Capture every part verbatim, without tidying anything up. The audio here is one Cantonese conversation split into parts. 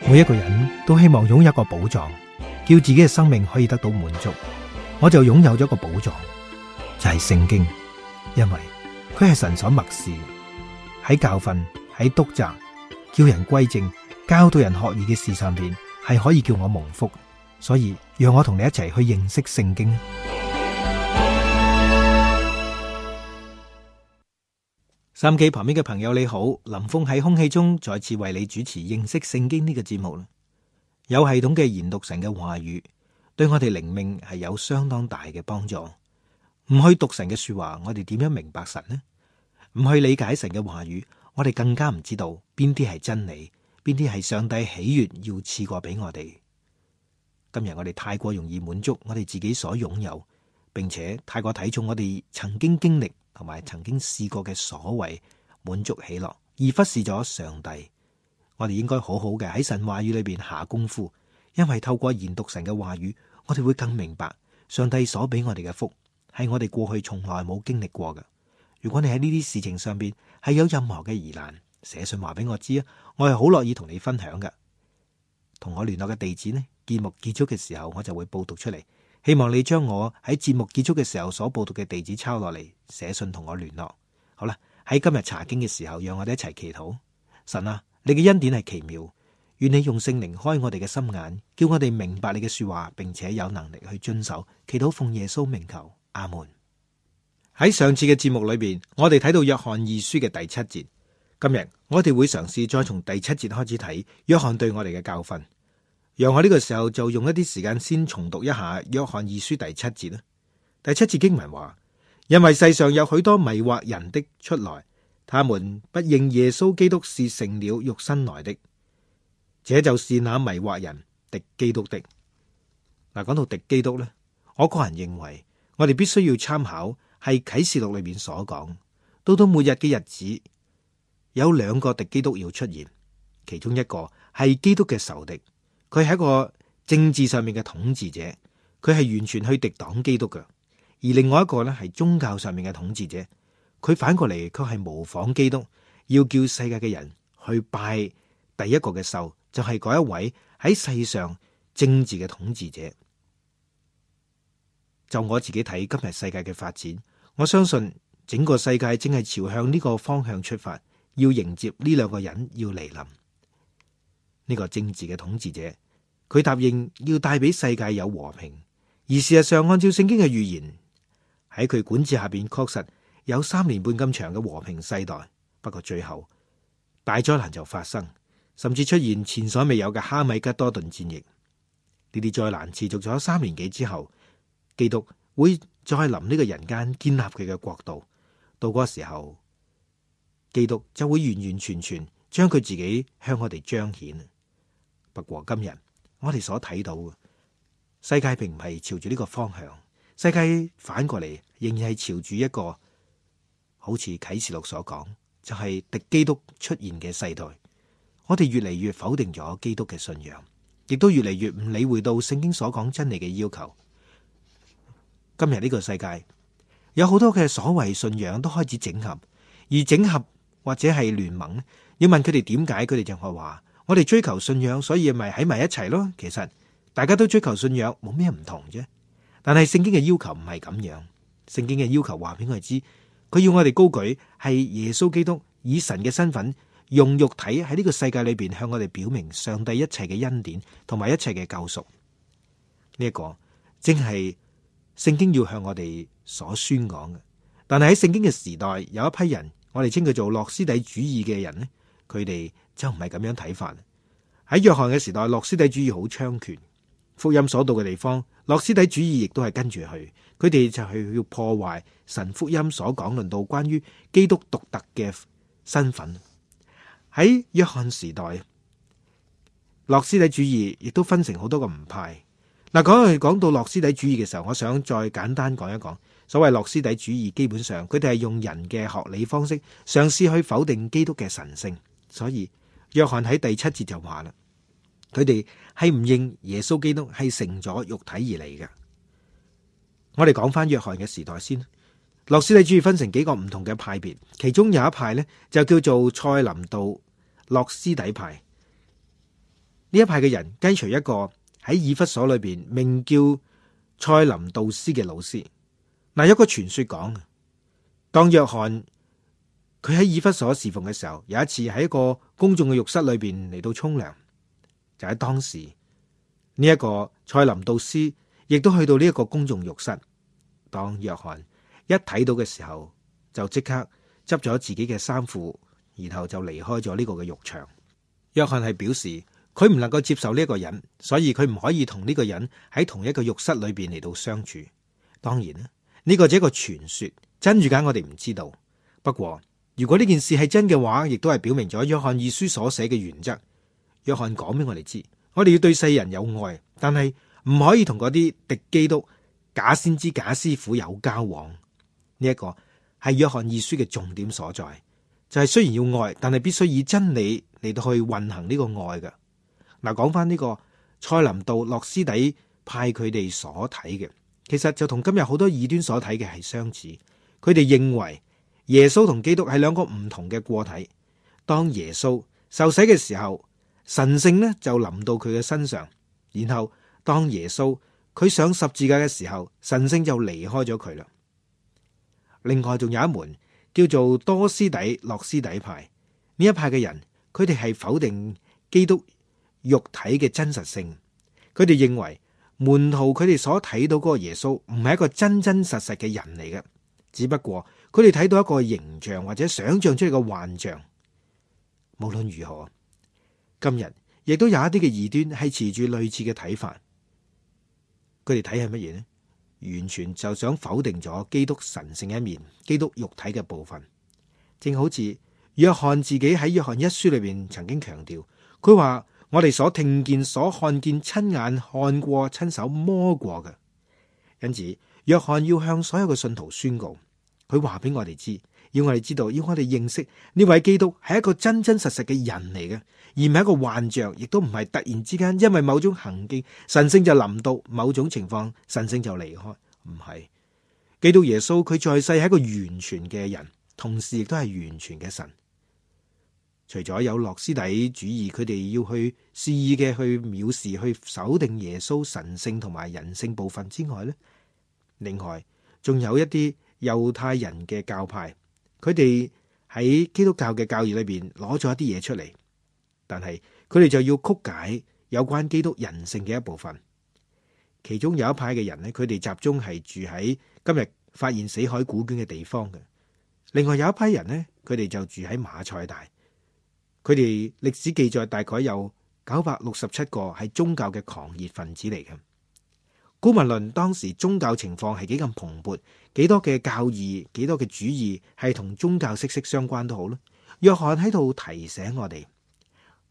每一個人都希望擁有一個寶藏，叫自己嘅生命可以得到滿足。我就擁有咗一個寶藏，就係聖經，因為佢係神所默示，喺教訓、喺督責、叫人歸正、教導人學義嘅事上邊，係可以叫我蒙福。所以讓我同你一齊去認識聖經。收音機旁邊嘅朋友你好，林峰喺空氣中再次為你主持認識聖經呢個節目。有系統嘅研讀神嘅話語，對我哋靈命係有相當大嘅幫助。唔去讀神嘅說話，我哋點樣明白神呢？唔去理解神嘅話語，我哋更加唔知道邊啲係真理，邊啲係上帝喜悅要賜過俾我哋。今日我哋太過容易滿足我哋自己所擁有，並且太過睇重我哋曾經經歷同埋曾經試過嘅所謂滿足喜樂，而忽視咗上帝。我哋應該好好嘅喺神話語裏邊下功夫，因為透過研讀神嘅話語，我哋會更明白上帝所俾我哋嘅福係我哋過去從來冇經歷過嘅。如果你喺呢啲事情上邊係有任何嘅疑難，寫信話俾我知啊，我係好樂意同你分享嘅。同我聯絡嘅地址呢，節目結束嘅時候我就會報讀出嚟。希望你將我喺節目結束嘅時候所報讀嘅地址抄落嚟，寫信同我聯絡。好啦，喺今日查經嘅時候，讓我哋一齊祈禱。神啊，你嘅恩典係奇妙，願你用聖靈開我哋嘅心眼，叫我哋明白你嘅說話，並且有能力去遵守。祈禱奉耶穌名求，阿門。喺上次嘅節目裏邊，我哋睇到約翰二書嘅第七節。今日我哋會嘗試再從第七節開始睇約翰對我哋嘅教訓。讓我呢個時候就用一啲時間先重讀一下約翰二書第七節啦。第七節經文話：因為世上有許多迷惑人的出來，他們不認耶穌基督是成了肉身來的，這就是那迷惑人敵基督的。嗱，講到敵基督呢，我個人認為我哋必須要參考係啟示錄裏面所講，到到末日嘅日子，有兩個敵基督要出現，其中一個係基督嘅仇敵。佢係一個政治上面嘅統治者，佢係完全去敵擋基督嘅；而另外一個咧係宗教上面嘅統治者，佢反過嚟佢係模仿基督，要叫世界嘅人去拜第一個嘅獸，就係嗰一位喺世上政治嘅統治者。就我自己睇今日世界嘅發展，我相信整個世界正係朝向呢個方向出發，要迎接呢兩個人要嚟臨。呢個政治嘅統治者，佢答應要帶俾世界有和平，而事實上按照聖經嘅預言，喺佢管治下邊確實有三年半咁長嘅和平世代。不過最後大災難就發生，甚至出現前所未有嘅哈米吉多頓戰役。呢啲災難持續咗三年幾之後，基督會再臨呢個人間建立佢嘅國度。到嗰個時候，基督就會完完全全將佢自己向我哋彰顯。不過今日我哋所睇到嘅世界並唔係朝住呢個方向，世界反過嚟仍然係朝住一個好似啟示錄所講，就係敵基督出現嘅世代。我哋越嚟越否定咗基督嘅信仰，亦都越嚟越唔理會到聖經所講真理嘅要求。今日呢個世界有好多嘅所謂信仰都開始整合，而整合或者係聯盟，要問佢哋點解，佢哋就係話：我哋追求信仰，所以咪喺埋一齊咯。其實大家都追求信仰，冇咩唔同啫。但係聖經嘅要求唔係咁樣，聖經嘅要求話俾我哋知，佢要我哋高舉係耶穌基督以神嘅身份，用肉體喺呢個世界裏邊向我哋表明上帝一切嘅恩典同埋一切嘅救贖。呢一個正係聖經要向我哋所宣講嘅。但係喺聖經嘅時代，有一批人，我哋稱佢做諾斯底主義嘅人呢，佢哋就唔係咁樣睇法。喺約翰嘅時代，諾斯底主義好猖獗，福音所到嘅地方，諾斯底主義亦都係跟住去，佢哋就係要破壞神福音所講論到關於基督獨特嘅身份。喺約翰時代，諾斯底主義亦都分成好多個唔派。嗱，講去講到諾斯底主義嘅時候，我想再簡單講一講。所謂諾斯底主義，基本上佢哋係用人嘅學理方式嘗試去否定基督嘅神性。所以約翰喺第七節就話啦，佢哋係唔認耶穌基督係成咗肉體而嚟嘅。我哋講翻約翰嘅時代先。諾斯底主義分成幾個唔同嘅派別，其中有一派呢就叫做塞林道諾斯底派。呢一派嘅人跟隨一個喺以弗所裏邊名叫塞林道斯嘅老師。嗱，有個傳說講，當約翰佢喺以弗所侍奉嘅時候，有一次喺一個公眾嘅浴室裏邊嚟到沖涼，就喺當時呢一個塞林道斯亦都去到呢一個公眾浴室。當約翰一睇到嘅時候，就即刻執咗自己嘅衫褲，然後就離開咗呢個嘅浴場。約翰係表示佢唔能夠接受呢一個人，所以佢唔可以同呢個人喺同一個浴室裏邊嚟到相處。當然啦，呢個只係一個傳說，真與假我哋唔知道。不過如果呢件事係真嘅話，亦都係表明咗約翰二書所寫嘅原則。約翰講俾我哋知，我哋要對世人有愛，但係唔可以同嗰啲敵基督、假先知、假師傅有交往。呢一個係約翰二書嘅重點所在，就係雖然要愛，但係必須以真理嚟到去運行呢個愛嘅。嗱，講翻呢個塞林道諾斯底派佢哋所睇嘅，其實就同今日好多異端所睇嘅係相似。佢哋認為耶穌同基督係兩個唔同嘅個體。當耶穌受洗嘅時候，神聖呢就臨到佢嘅身上，然後當耶穌佢上十字架嘅時候，神聖就離開咗佢啦。另外仲有一門叫做多斯底諾斯底派，呢一派嘅人，佢哋係否定基督肉體嘅真實性。佢哋認為門徒佢哋所睇到嗰個耶穌唔係一個真真實實嘅人嚟嘅，只不過佢哋睇到一個形象或者想象出嚟嘅幻象。無論如何，今日亦都有一啲嘅異端係持住類似嘅睇法。佢哋睇係乜嘢呢？完全就想否定咗基督神聖一面，基督肉體嘅部分。正好似約翰自己喺約翰一書裏邊曾經強調，佢話我哋所聽見、所看見、親眼看過、親手摸過嘅。因此，約翰要向所有嘅信徒宣告，佢話俾我哋知，要我哋知道，要我哋認識呢位基督係一個真真實實嘅人嚟嘅，而唔係一個幻象，亦都唔係突然之間因為某種行徑神聖就臨到，某種情況神聖就離開。唔係，基督耶穌佢在世係一個完全嘅人，同時亦都係完全嘅神。除咗有諾斯底主義，佢哋要去肆意嘅去藐視、去否定耶穌神聖同埋人性部分之外咧，另外仲有一啲猶太人嘅教派，佢哋喺基督教嘅教義裏邊攞咗一啲嘢出嚟，但係佢哋就要曲解有關基督人性嘅一部分。其中有一派嘅人咧，佢哋集中係住喺今日發現死海古卷嘅地方嘅。另外有一批人咧，佢哋就住喺馬賽大。佢哋歷史記載大概有九百六十七個係宗教嘅狂熱分子嚟嘅。姑勿論當時宗教情況係幾咁蓬勃，幾多嘅教義，幾多嘅主義係同宗教息息相關都好啦。約翰喺度提醒我哋，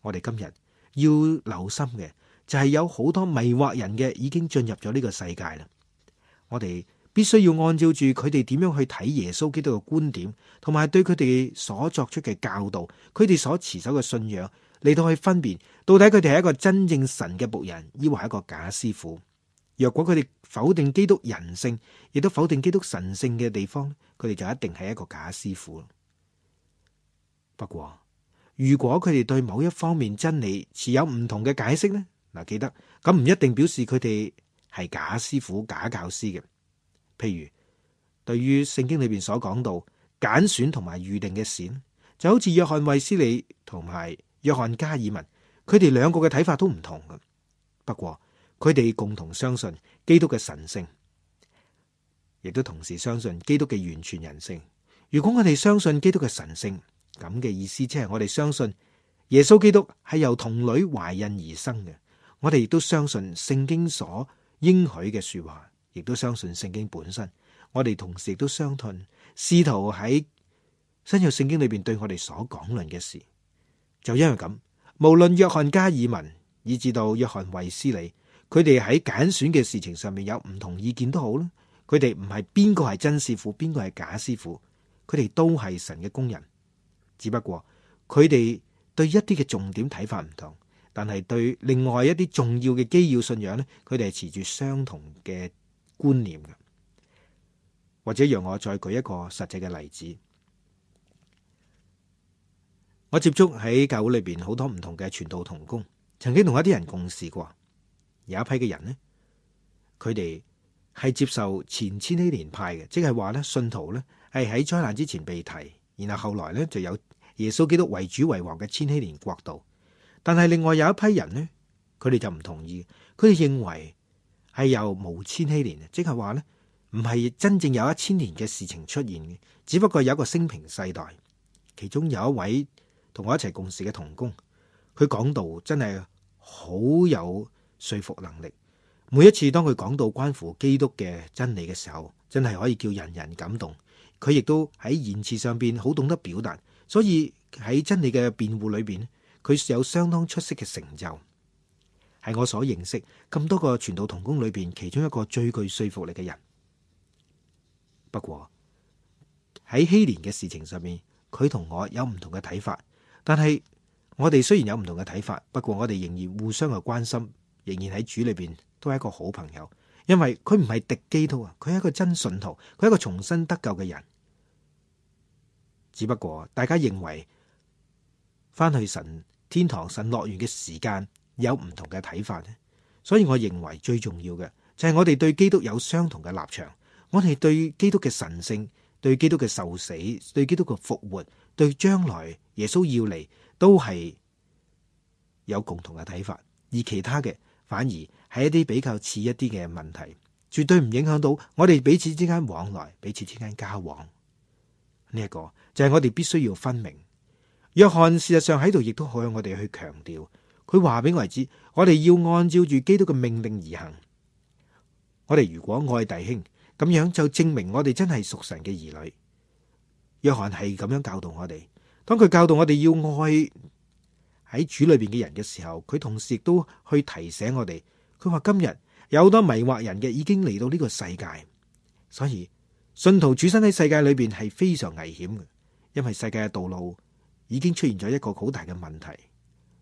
我哋今日要留心嘅就係有好多迷惑人嘅已經進入咗呢個世界啦。我哋必須要按照住佢哋點樣去睇耶穌基督嘅觀點，同埋對佢哋所作出嘅教導，佢哋所持守嘅信仰嚟到去分辨，到底佢哋係一個真正神嘅僕人，抑或係一個假師傅。若果佢哋否定基督人性，亦都否定基督神性嘅地方，佢哋就一定係一個假師傅。不過，如果佢哋對某一方面真理持有唔同嘅解釋呢？嗱，記得咁唔一定表示佢哋係假師傅、假教師嘅。譬如對於聖經裏邊所講到揀選同埋預定嘅事，就好似約翰衛斯理同埋約翰加爾文，佢哋兩個嘅睇法都唔同嘅。不過佢哋共同相信基督嘅神聖，亦都同時相信基督嘅完全人性。如果我哋相信基督嘅神聖，咁嘅意思即係我哋相信耶穌基督係由童女懷孕而生嘅。我哋亦都相信聖經所應許嘅說話，亦都相信聖經本身。我哋同時亦都相信試圖喺新約聖經裏邊對我哋所講論嘅事。就因為咁，無論約翰加爾文以至到約翰衛斯理，佢哋喺揀選嘅事情上面有唔同意見都好啦。佢哋唔係邊個係真師傅，邊個係假師傅，佢哋都係神嘅工人。只不過佢哋對一啲嘅重點睇法唔同，但係對另外一啲重要嘅基要信仰咧，佢哋係持住相同嘅觀念嘅。或者讓我再舉一個實際嘅例子，我接觸喺教會裏邊好多唔同嘅傳道同工，曾經同一啲人共事過，有一批嘅人呢，佢哋係接受前千禧年派嘅，即係話咧信徒咧係喺災難之前被提，然後後來咧就有耶穌基督為主為王嘅千禧年國度。但係另外有一批人呢，佢哋就唔同意，佢哋認為係由無千禧年，即係話咧唔係真正有一千年嘅事情出現嘅，只不過有一個升平世代。其中有一位同我一齊共事嘅同工，佢講道真係好有說服能力。每一次當佢講到關乎基督嘅真理嘅時候，真係可以叫人人感動。佢亦都喺言辭上邊好懂得表達，所以喺真理嘅辯護裏邊，佢有相當出色嘅成就，係我所認識咁多個傳道同工裏邊其中一個最具說服力嘅人。不過喺禧年嘅事情上面，佢同我有唔同嘅睇法，但係我哋雖然有唔同嘅睇法，不過我哋仍然互相嘅關心，仍然喺主裏邊都係一個好朋友。因為佢唔係敵基督啊，佢係一個真信徒，佢係一個重新得救嘅人。只不過大家認為翻去神天堂、神樂園嘅時間有唔同嘅睇法咧，所以我認為最重要嘅就係我哋對基督有相同嘅立場，我哋對基督嘅神聖、對基督嘅受死、對基督嘅復活、對將來耶穌要嚟，都係有共同嘅睇法，而其他嘅反而係一啲比較似一啲嘅問題，絕對唔影響到我哋彼此之間往來、彼此之間交往。呢一個就係我哋必須要分明。約翰事實上喺度亦都好向我哋去強調，佢話俾我哋知，我哋要按照住基督嘅命令而行。我哋如果愛弟兄，咁樣就證明我哋真係屬神嘅兒女。約翰係咁樣教導我哋，當佢教導我哋要愛喺主裏邊嘅人嘅時候，佢同時亦都去提醒我哋。佢話今日有好多迷惑人嘅已經嚟到呢個世界，所以信徒處身喺世界裏邊係非常危險嘅，因為世界嘅道路已經出現咗一個好大嘅問題。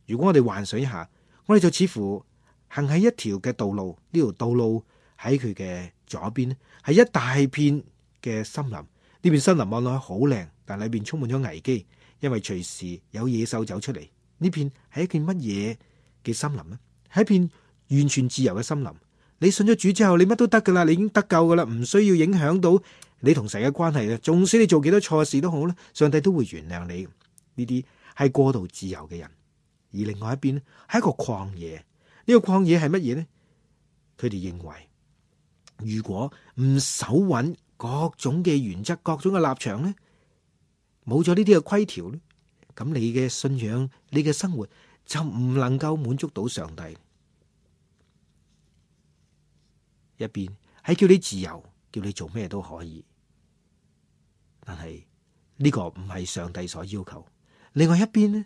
如果我哋幻想一下，我哋就似乎行喺一條嘅道路，呢條道路喺佢嘅左邊係一大片嘅森林，呢片森林望落去好靚，但裏邊充滿咗危機，因為隨時有野獸走出嚟。呢片係一片乜嘢嘅森林呢？係一片完全自由嘅森林。你信咗主之後，你乜都得噶啦，你已經得救噶啦，唔需要影響到你同神嘅關係咧。縱使你做幾多錯事都好咧，上帝都會原諒你。呢啲係過度自由嘅人。而另外一邊咧，係一個曠野。呢個曠野係乜嘢呢？佢哋認為，如果唔守穩各種嘅原則、各種嘅立場咧，冇咗呢啲嘅規條咧，咁你嘅信仰、你嘅生活就唔能夠滿足到上帝。一邊係叫你自由，叫你做咩都可以，但係呢個唔係上帝所要求。另外一邊呢，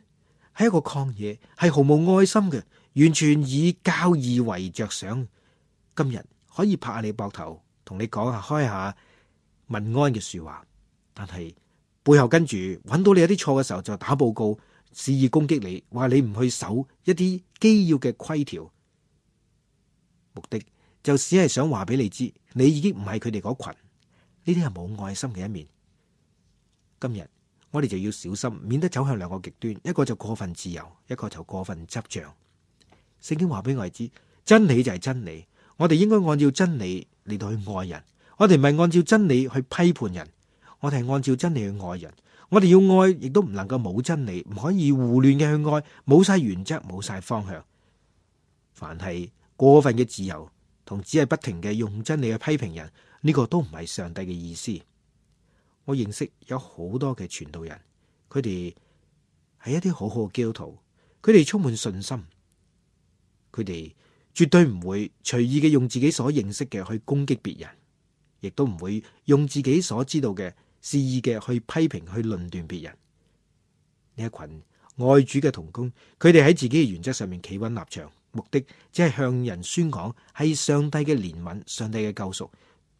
係一個曠野，係毫無愛心嘅，完全以教義為着想。今日可以拍下你膊頭，同你講下開下問安嘅說話，但係背後跟住揾到你有啲錯嘅時候，就打報告，肆意攻擊你，話你唔去守一啲基要嘅規條，目的就只係想話俾你知，你已經唔係佢哋嗰群。呢啲係冇愛心嘅一面。今日我哋就要小心，免得走向兩個極端，一個就過分自由，一個就過分執着。聖經話俾我哋知，真理就係真理，我哋應該按照真理嚟到去愛人。我哋唔係按照真理去批判人，我哋係按照真理去愛人。我哋要愛，亦都唔能夠冇真理，唔可以胡亂嘅去愛，冇晒原則，冇晒方向。凡係過分嘅自由，同只係不停嘅用真理去批評人，呢個都唔係上帝嘅意思。我認識有好多嘅傳道人，佢哋係一啲好好嘅基督徒，佢哋充滿信心，佢哋絕對唔會隨意嘅用自己所認識嘅去攻擊別人，亦都唔會用自己所知道嘅肆意嘅去批評、去論斷別人。呢一群愛主嘅同工，佢哋喺自己嘅原則上面企穩立場，目的只係向人宣講係上帝嘅憐憫、上帝嘅救贖，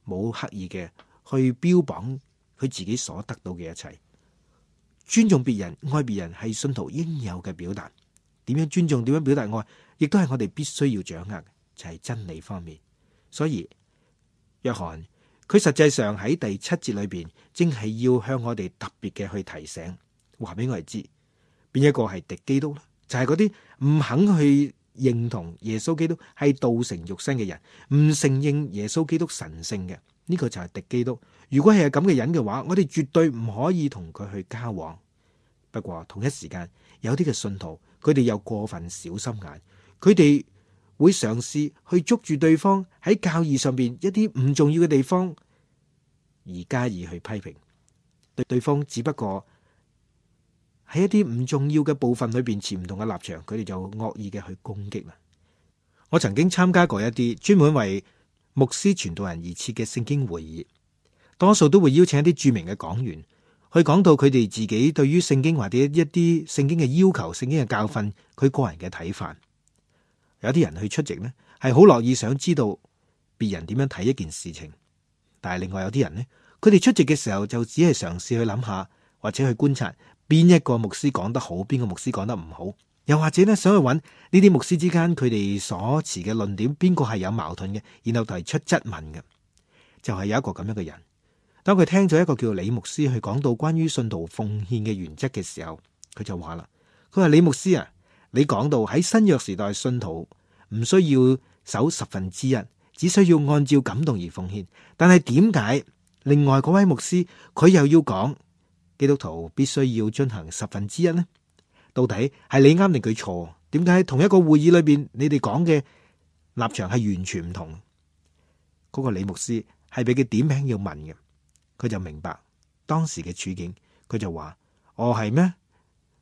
冇刻意嘅去標榜佢自己所得到嘅一切。尊重別人、愛別人係信徒應有嘅表達。點樣尊重、點樣表達愛，亦都係我哋必須要掌握嘅，就係真理方面。所以約翰佢實際上喺第七節裏邊，正係要向我哋特別嘅去提醒，話俾我哋知邊一個係敵基督咧，就係嗰啲唔肯去認同耶穌基督係道成肉身嘅人，唔承認耶穌基督神聖嘅，呢個就係敵基督。如果係咁嘅人嘅話，我哋絕對唔可以同佢去交往。不過同一時間，有啲嘅信徒，佢哋又過分小心眼，佢哋會嘗試去捉住對方喺教義上邊一啲唔重要嘅地方，而加以去批評。對對方只不過喺一啲唔重要嘅部分裏邊持唔同嘅立場，佢哋就惡意嘅去攻擊啦。我曾經參加過一啲專門為牧師傳道人而設嘅聖經會議，多數都會邀請一啲著名嘅講員去講到佢哋自己對於聖經或者一啲聖經嘅要求、聖經嘅教訓，佢個人嘅睇法。有啲人去出席呢，係好樂意想知道別人點樣睇一件事情，但係另外有啲人呢，佢哋出席嘅時候就只係嘗試去諗下，或者去觀察邊一個牧師講得好，邊個牧師講得唔好，又或者呢，想去揾呢啲牧師之間佢哋所持嘅論點邊個係有矛盾嘅，然後提出質問嘅。就係有一個咁樣嘅人，當佢聽咗一個叫李牧師去講到關於信徒奉獻嘅原則嘅時候，佢就話啦，佢話李牧師啊，你講到喺新約時代信徒唔需要守十分之一，只需要按照感動而奉獻，但係點解另外嗰位牧師佢又要講基督徒必須要遵行十分之一呢？到底係你啱定佢錯？點解喺同一個會議裏邊，你哋講嘅立場係完全唔同？嗰個李牧師係俾佢點名要問嘅，佢就明白當時嘅處境，佢就話：哦，係咩？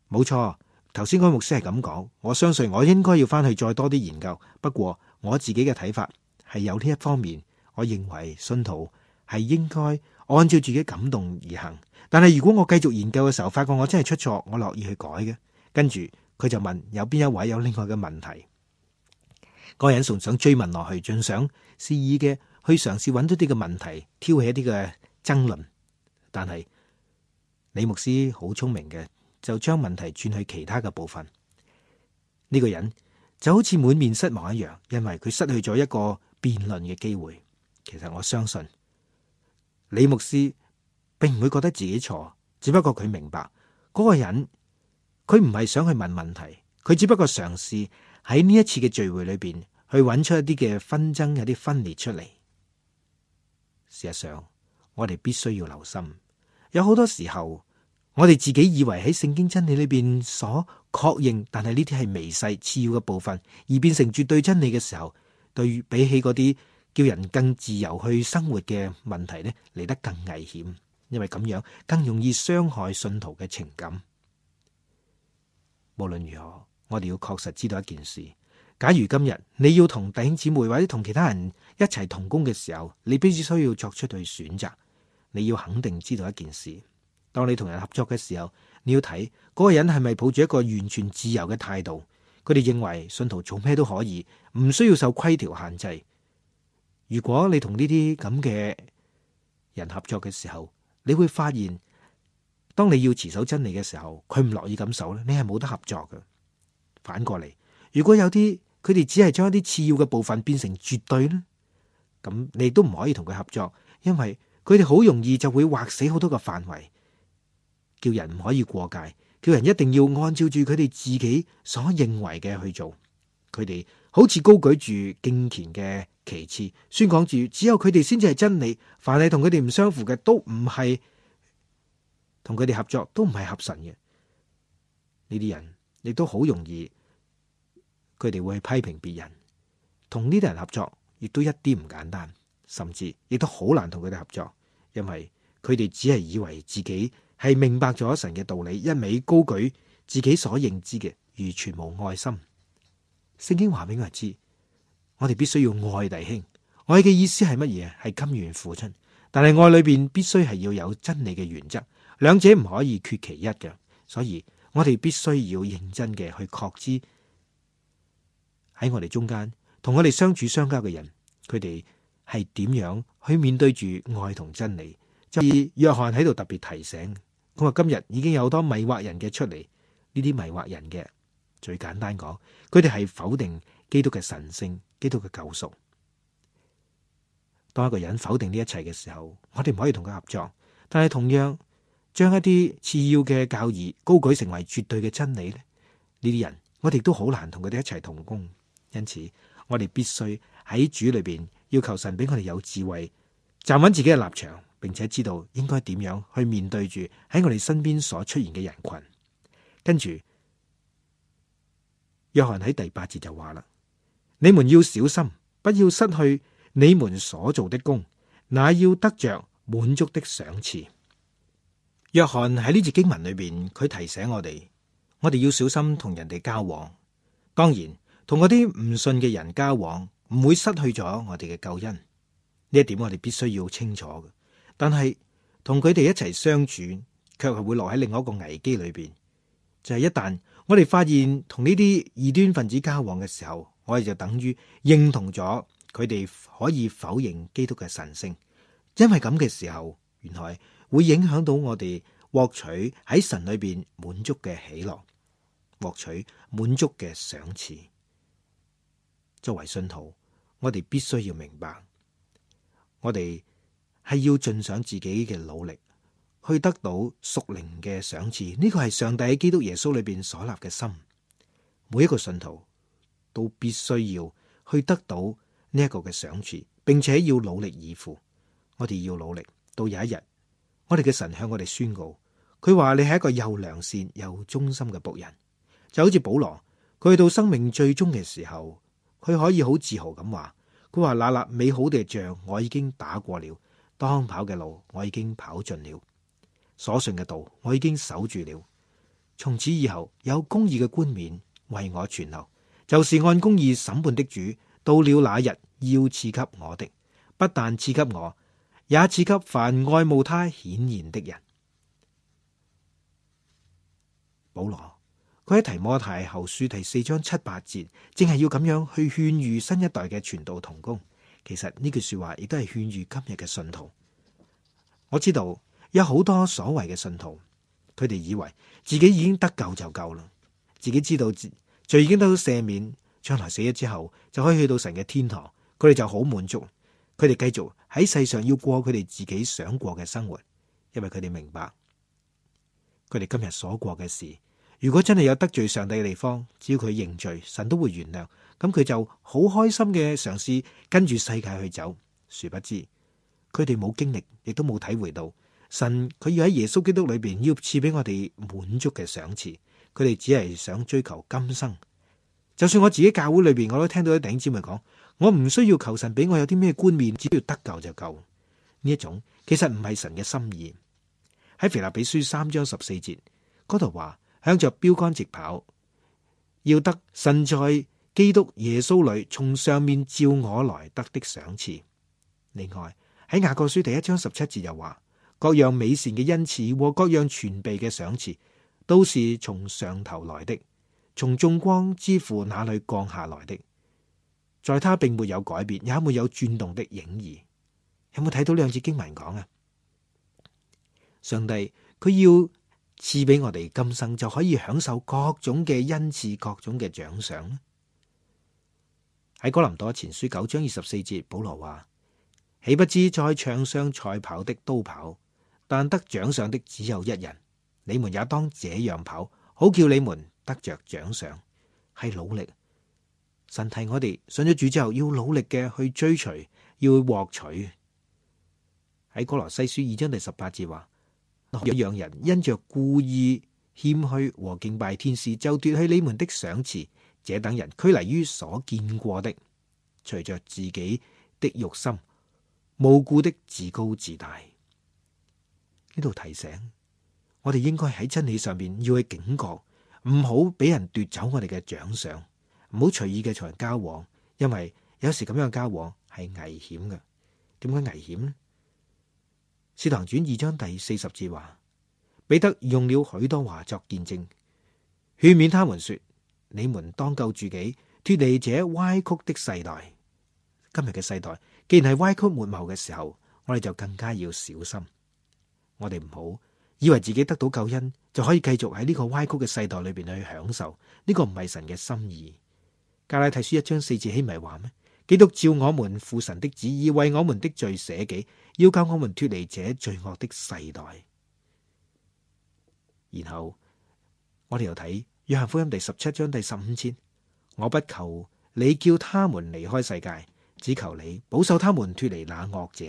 冇錯，頭先嗰個牧師係咁講，我相信我應該要翻去再多啲研究。不過我自己嘅睇法係有呢一方面，我認為信徒係應該按照自己感動而行。但係如果我繼續研究嘅時候，發覺我真係出錯，我樂意去改嘅。跟住佢就問有邊一位有另外嘅問題，嗰個人仲想追問落去，盡想肆意嘅去嘗試揾到啲嘅問題，挑起一啲嘅爭論。但係李牧師好聰明嘅，就將問題轉去其他嘅部分。呢個人就好似滿面失望一樣，因為佢失去咗一個辯論嘅機會。其實我相信李牧師並唔會覺得自己錯，只不過佢明白嗰個人佢唔係想去問問題，佢只不過嘗試喺呢一次嘅聚會裏邊去揾出一啲嘅紛爭、有啲分裂出嚟。事實上，我哋必須要留心，有好多時候我哋自己以為喺聖經真理裏邊所確認，但係呢啲係微細次要嘅部分，而變成絕對真理嘅時候，對比起嗰啲叫人更自由去生活嘅問題呢，嚟得更危險，因為咁樣更容易傷害信徒嘅情感。無論如何，我哋要確實知道一件事，假如今日你要同弟兄姊妹或者同其他人一齊同工嘅時候，你必須要作出去選擇。你要肯定知道一件事，當你同人合作嘅時候，你要睇嗰個人係咪抱住一個完全自由嘅態度。佢哋認為信徒做咩都可以，唔需要受規條限制。如果你同呢啲咁嘅人合作嘅時候，你會發現當你要持守真理嘅時候，佢唔樂意咁守咧，你係冇得合作嘅。反過嚟，如果有啲佢哋只係將一啲次要嘅部分變成絕對咧，咁你都唔可以同佢合作，因為佢哋好容易就會劃死好多個範圍，叫人唔可以過界，叫人一定要按照住佢哋自己所認為嘅去做。佢哋好似高舉住敬虔嘅旗幟，宣講住只有佢哋先至係真理，凡係同佢哋唔相符嘅都唔係同佢哋合作，都唔係合神嘅。呢啲人亦都好容易，佢哋會去批評別人，同呢啲人合作亦都一啲唔簡單，甚至亦都好難同佢哋合作，因為佢哋只係以為自己係明白咗神嘅道理，一味高舉自己所認知嘅，完全無愛心。聖經話俾我哋知，我哋必須要愛弟兄。愛嘅意思係乜嘢？係甘願付出，但係愛裏邊必須係要有真理嘅原則，兩者唔可以缺其一嘅。所以我哋必須要認真嘅去確知喺我哋中間同我哋相處相交嘅人，佢哋係點樣去面對住愛同真理。就以約翰喺度特別提醒，佢話今日已經有好多迷惑人嘅出嚟，呢啲迷惑人嘅最簡單講，佢哋係否定基督嘅神聖、基督嘅救贖。當一個人否定呢一切嘅時候，我哋唔可以同佢合作。但係同樣將一啲次要嘅教義高舉成為絕對嘅真理咧，呢啲人我哋都好難同佢哋一齊同工。因此，我哋必須喺主裏邊要求神俾我哋有智慧，站穩自己嘅立場，並且知道應該點樣去面對住喺我哋身邊所出現嘅人群。跟住，約翰喺第八節就話啦：你們要小心，不要失去你們所做的工，那要得着滿足的賞賜。約翰喺呢節經文裏邊，佢提醒我哋，我哋要小心同人哋交往。當然，同嗰啲唔信嘅人交往，唔會失去咗我哋嘅救恩。呢一點我哋必須要清楚嘅。但係同佢哋一齊相處，卻係會落喺另外一個危機裏邊。就係一旦我哋發現同呢啲異端分子交往嘅時候，我哋就等於認同咗佢哋可以否認基督嘅神聖。因為咁嘅時候，原來會影響到我哋獲取喺神裏邊滿足嘅喜樂，獲取滿足嘅賞賜。作為信徒，我哋必須要明白，我哋係要盡上自己嘅努力，去得到屬靈嘅賞賜。呢個係上帝喺基督耶穌裏邊所立嘅心。每一個信徒都必須要去得到呢一個嘅賞賜，並且要努力以赴。我哋要努力，到有一日，我哋嘅神向我哋宣告，佢話你係一個又良善又忠心嘅僕人。就好似保羅，佢去到生命最終嘅時候，佢可以好自豪咁話，佢話那立美好嘅仗我已經打過了，當跑嘅路我已經跑盡了，所信嘅道我已經守住了。從此以後有公義嘅冠冕為我存留，就是按公義審判的主，到了那日要賜給我的，不但賜給我，也賜給凡愛慕他顯現的人。保羅佢喺提摩太後書第四章七八節，正係要咁樣去勸喻新一代嘅傳道同工。其實呢句說話亦都係勸喻今日嘅信徒。我知道有好多所謂嘅信徒，佢哋以為自己已經得救就夠啦，自己知道罪已經得到赦免，將來死咗之後就可以去到神嘅天堂，佢哋就好滿足。佢哋繼續喺世上要過佢哋自己想過嘅生活，因為佢哋明白，佢哋今日所過嘅事，如果真係有得罪上帝嘅地方，只要佢認罪，神都會原諒。咁佢就好開心嘅嘗試跟住世界去走。殊不知，佢哋冇經歷，亦都冇體會到神佢要喺耶穌基督裏邊要賜俾我哋滿足嘅賞賜。佢哋只係想追求今生。就算我自己教會裏邊，我都聽到啲弟兄姊妹講，我唔需要求神俾我有啲咩冠冕，只要得救就夠。呢一種其實唔係神嘅心意。喺腓立比書三章十四節嗰度話，向着標杆直跑，要得神在基督耶穌裏從上面召我來得的賞賜。另外喺雅各書第一章十七節又話，各樣美善嘅恩賜和各樣全備嘅賞賜，都是從上頭來的，從眾光之父那裏降下來的，在他並沒有改變，也沒有轉動的影兒。有冇睇到兩節經文講啊？上帝佢要賜俾我哋今生就可以享受各種嘅恩賜，各種嘅獎賞。喺哥林多前書九章二十四節，保羅話：豈不知在場上賽跑的都跑，但得獎賞的只有一人。你們也當這樣跑，好叫你們得着獎賞。係努力，神提我哋信咗主之後要努力嘅去追隨，要獲取。喺哥羅西書二章第十八節話：若讓人因着故意謙虛和敬拜天使，就奪去你們的賞賜，這等人拘泥於所見過的，隨着自己的慾心，無故的自高自大。呢度提醒我哋應該喺真理上面要去警覺，唔好俾人奪走我哋嘅獎賞，唔好隨意嘅同人交往，因為有時咁樣交往係危險嘅。點解危險呢？使徒行傳二章第四十節話，彼得用了許多話作見證，勸勉他們說：你們當救自己，脫離這歪曲的世代。今日嘅世代既然係歪曲悖謬嘅時候，我哋就更加要小心。我哋唔好以為自己得到救恩就可以繼續喺呢個歪曲嘅世代裏邊去享受，呢個唔係神嘅心意。加拉太書一章四節豈唔係話咩？基督照我們父神的旨意為我們的罪捨己，要救我們脫離這罪惡的世代。然後我哋又睇約翰福音第十七章第十五節：我不求你叫他們離開世界，只求你保守他們脫離那惡者。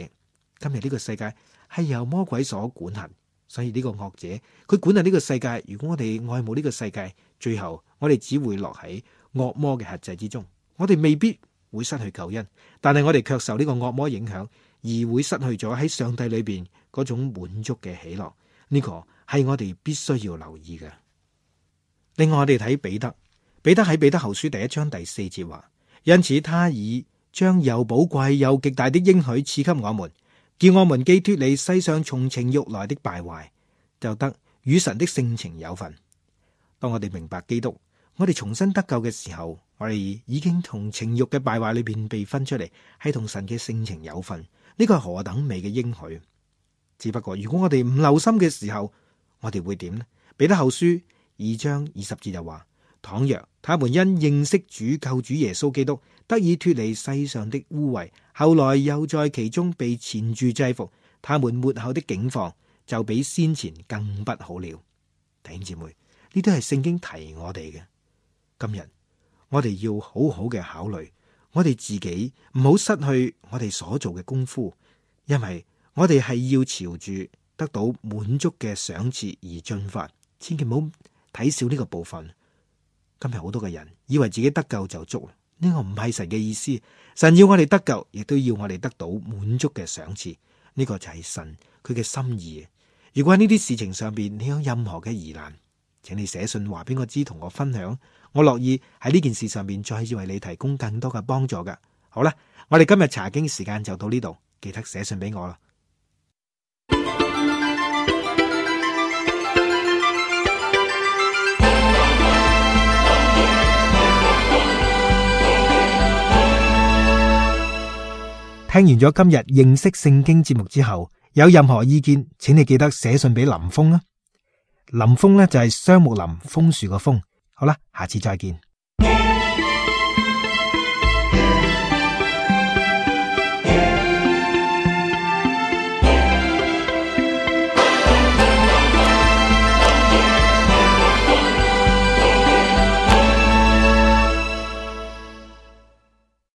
今日呢個世界係由魔鬼所管轄，所以呢個惡者佢管轄呢個世界。如果我哋愛慕呢個世界，最後我哋只會落喺惡魔嘅轄制之中。我哋未必會失去救恩，但係我哋卻受呢個惡魔影響，而會失去咗喺上帝裏邊嗰種滿足嘅喜樂。呢個係我哋必須要留意嘅。另外我哋睇彼得，彼得喺彼得後書第一章第四節話：因此他已將又寶貴又極大的應許賜給我們，叫我們既脫離世上從情欲來的敗壞，就得與神的性情有份。當我哋明白基督，我哋重新得救嘅時候，我哋已經從情欲嘅敗壞裏邊被分出嚟，係同神嘅性情有份。呢個係何等美嘅應許！只不過如果我哋唔留心嘅時候，我哋會點呢？彼得後書二章二十節就話：倘若他們因認識主救主耶穌基督，得以脫離世上的污穢，後來又在其中被纏住制服，他們末後的境況就比先前更不好了。弟兄姊妹，呢都係聖經提我哋嘅。今日我哋要好好嘅考慮，我哋自己唔好失去我哋所做嘅功夫，因為我哋係要朝住得到滿足嘅賞賜而進發，千祈唔好睇小呢個部分。今日好多嘅人以為自己得救就足，呢個唔係神嘅意思。神要我哋得救，亦都要我哋得到滿足嘅賞賜，呢個就係神佢嘅心意。如果喺呢啲事情上邊你有任何嘅疑難，請你寫信話俾我知，同我分享，我樂意喺呢件事上面再為你提供更多嘅幫助㗎。好啦，我哋今日查經時間就到呢度，記得寫信俾我啦。聽完咗今日認識聖經節目之後，有任何意見，請你記得寫信俾林峰啦。林峰呢就係雙木林楓樹個楓。好啦，下次再見。